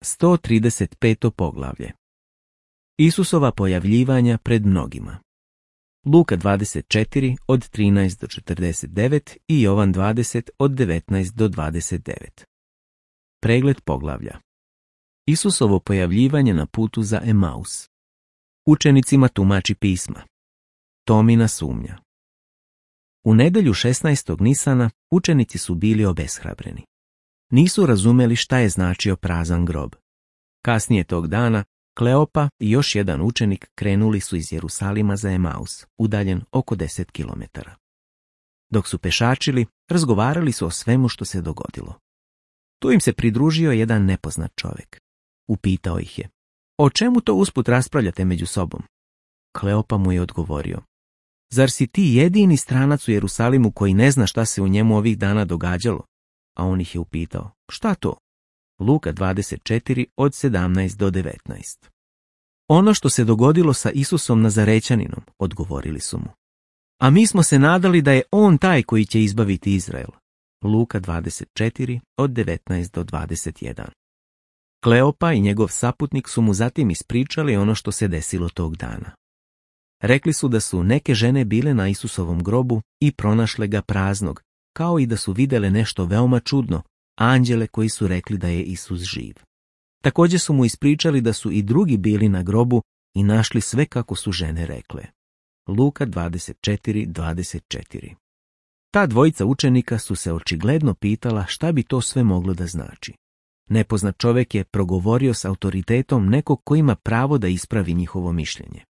135. poglavlje. Isusova pojavljivanja pred mnogima. Luka 24 od 13 do 49 i Jovan 20 od 19 do 29. Pregled poglavlja. Isusovo pojavljivanje na putu za Emaus. Učenicima tumači pisma. Tomina sumnja. U nedjelju 16. Nisana učenici su bili obeshrabreni. Nisu razumeli šta je značio prazan grob. Kasnije tog dana Kleopa i još jedan učenik krenuli su iz Jerusalima za Emaus, udaljen oko 10 kilometara. Dok su pešačili, razgovarali su o svemu što se dogodilo. Tu im se pridružio jedan nepoznat čovjek. Upitao ih je: "O čemu to usput raspravljate među sobom?" Kleopa mu je odgovorio: "Zar si ti jedini stranac u Jerusalimu koji ne zna šta se u njemu ovih dana događalo?" A on ih je upitao: "Šta to?" Luka 24 od 17 do 19. "Ono što se dogodilo sa Isusom Nazarećaninom", odgovorili su mu. "A mi smo se nadali da je on taj koji će izbaviti Izrael." Luka 24 od 19 do 21. Kleopa i njegov saputnik su mu zatim ispričali ono što se desilo tog dana. Rekli su da su neke žene bile na Isusovom grobu i pronašle ga praznog, kao i da su vidjele nešto veoma čudno, anđele koji su rekli da je Isus živ. Također su mu ispričali da su i drugi bili na grobu i našli sve kako su žene rekle. Luka 24:24. Ta dvojica učenika su se očigledno pitala šta bi to sve moglo da znači. Nepoznat čovjek je progovorio s autoritetom nekog ko ima pravo da ispravi njihovo mišljenje.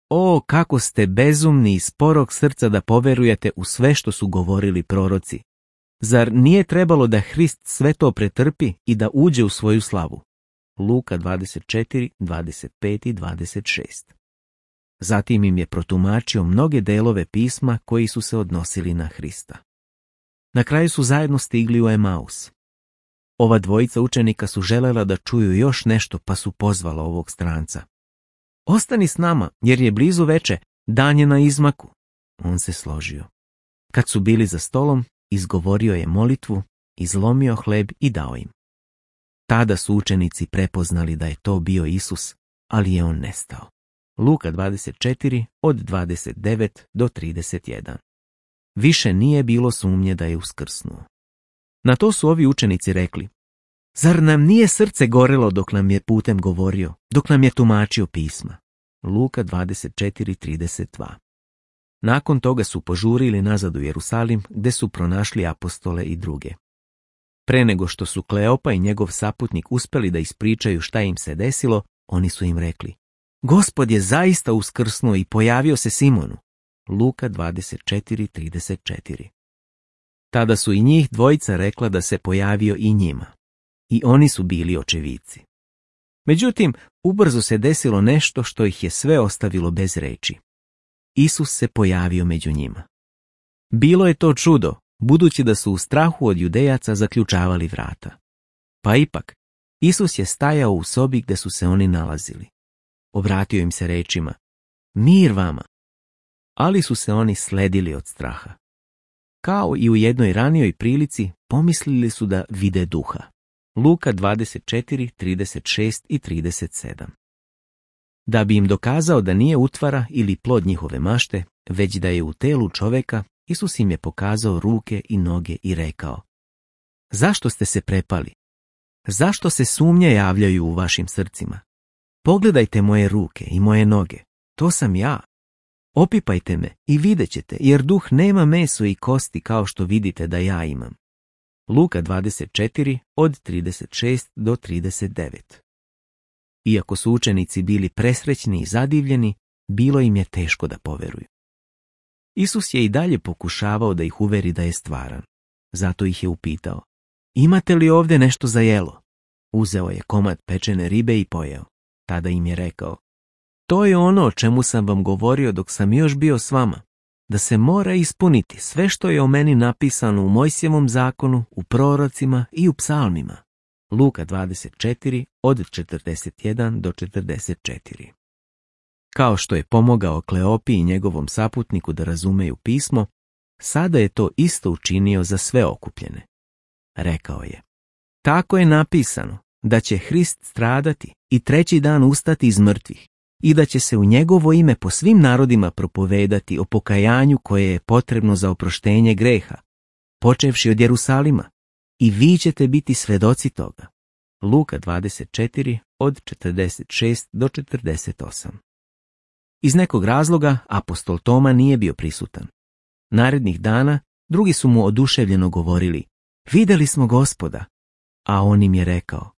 "O, kako ste bezumni i sporog srca da poverujete u sve što su govorili proroci. Zar nije trebalo da Hrist sve to pretrpi i da uđe u svoju slavu?" Luka 24:25 i 26. Zatim im je protumačio mnoge delove pisma koji su se odnosili na Hrista. Na kraju su zajedno stigli u Emaus. Ova dvojica učenika su želela da čuju još nešto, pa su pozvala ovog stranca. "Ostani s nama, jer je blizu veče, dan je na izmaku." On se složio. Kad su bili za stolom, izgovorio je molitvu, izlomio hleb i dao im. Tada su učenici prepoznali da je to bio Isus, ali je on nestao. Luka 24 od 29 do 31. Više nije bilo sumnje da je uskrsnuo. Na to su ovi učenici rekli: "Zar nam nije srce gorelo dok nam je putem govorio, dok nam je tumačio pisma?" Luka 24:32. Nakon toga su požurili nazad u Jerusalim, gde su pronašli apostole i druge. Pre nego što su Kleopa i njegov saputnik uspeli da ispričaju šta im se desilo, oni su im rekli: "Gospod je zaista uskrsnuo i pojavio se Simonu." Luka 24:34. Tada su i njih dvojica rekla da se pojavio i njima. I oni su bili očevici. Međutim, ubrzo se desilo nešto što ih je sve ostavilo bez reči. Isus se pojavio među njima. Bilo je to čudo, budući da su u strahu od Judejaca zaključavali vrata. Pa ipak, Isus je stajao u sobi gde su se oni nalazili. Obratio im se rečima: "Mir vama." Ali su se oni sledili od straha. Kao i u jednoj ranijoj prilici, pomislili su da vide duha. Luka 24:36 i 37. Da bi im dokazao da nije utvara ili plod njihove mašte, već da je u telu čoveka, Isus im je pokazao ruke i noge i rekao: "Zašto ste se prepali? Zašto se sumnje javljaju u vašim srcima? Pogledajte moje ruke i moje noge, to sam ja. Opipajte me i vidjet ćete, jer duh nema meso i kosti kao što vidite da ja imam." Luka 24 od 36 do 39. Iako su učenici bili presrećni i zadivljeni, bilo im je teško da poveruju. Isus je i dalje pokušavao da ih uveri da je stvaran. Zato ih je upitao: "Imate li ovdje nešto za jelo?" Uzeo je komad pečene ribe i pojeo. Tada im je rekao: "To je ono o čemu sam vam govorio dok sam još bio s vama, da se mora ispuniti sve što je o meni napisano u Mojsijevom zakonu, u prorocima i u psalmima." Luka 24 od 41 do 44. Kao što je pomogao Kleopi i njegovom saputniku da razumeju pismo, sada je to isto učinio za sve okupljene. Rekao je: "Tako je napisano, da će Hrist stradati i treći dan ustati iz mrtvih i da će se u njegovo ime po svim narodima propovedati o pokajanju koje je potrebno za oproštenje greha, počevši od Jerusalima, i vi ćete biti svedoci toga. Luka 24 od 46 do 48. Iz nekog razloga apostol Toma nije bio prisutan. Narednih dana drugi su mu oduševljeno govorili: vidjeli smo Gospoda, a on im je rekao: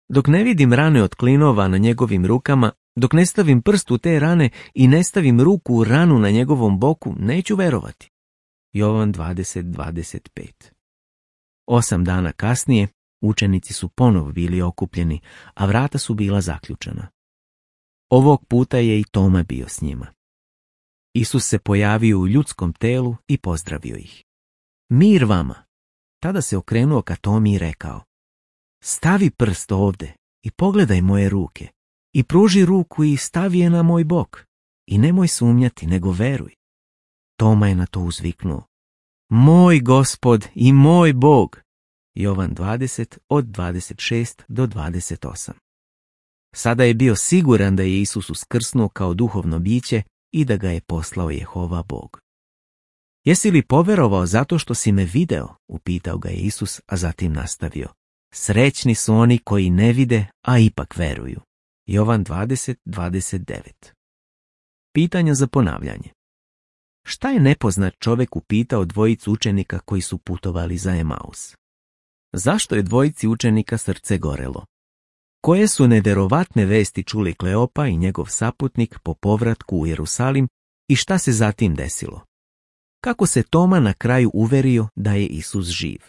dok ne vidim rane od klinova na njegovim rukama, dok ne stavim prst u te rane i ne stavim ruku u ranu na njegovom boku, neću verovati. Jovan 20:25. 8 dana kasnije učenici su ponovo bili okupljeni, a vrata su bila zaključana. Ovog puta je i Toma bio s njima. Isus se pojavio u ljudskom telu i pozdravio ih. Mir vama! Tada se okrenuo ka Tomi i rekao: stavi prst ovde i pogledaj moje ruke i pruži ruku i stavi je na moj bok i nemoj sumnjati, nego veruj. Toma je na to uzviknuo: moj Gospod i moj Bog. Jovan 20 od 26 do 28. Sada je bio siguran da je Isus uskrsnuo kao duhovno biće i da ga je poslao Jehova Bog. Jesi li poverovao zato što si me video? Upitao ga je Isus, a zatim nastavio: srećni su oni koji ne vide, a ipak veruju. Jovan 20:29. Pitanja za ponavljanje. Šta je nepoznat čovjek upitao dvojicu učenika koji su putovali za Emaus? Zašto je dvojici učenika srce gorelo? Koje su nevjerovatne vesti čuli Kleopa i njegov saputnik po povratku u Jerusalim i šta se zatim desilo? Kako se Toma na kraju uverio da je Isus živ?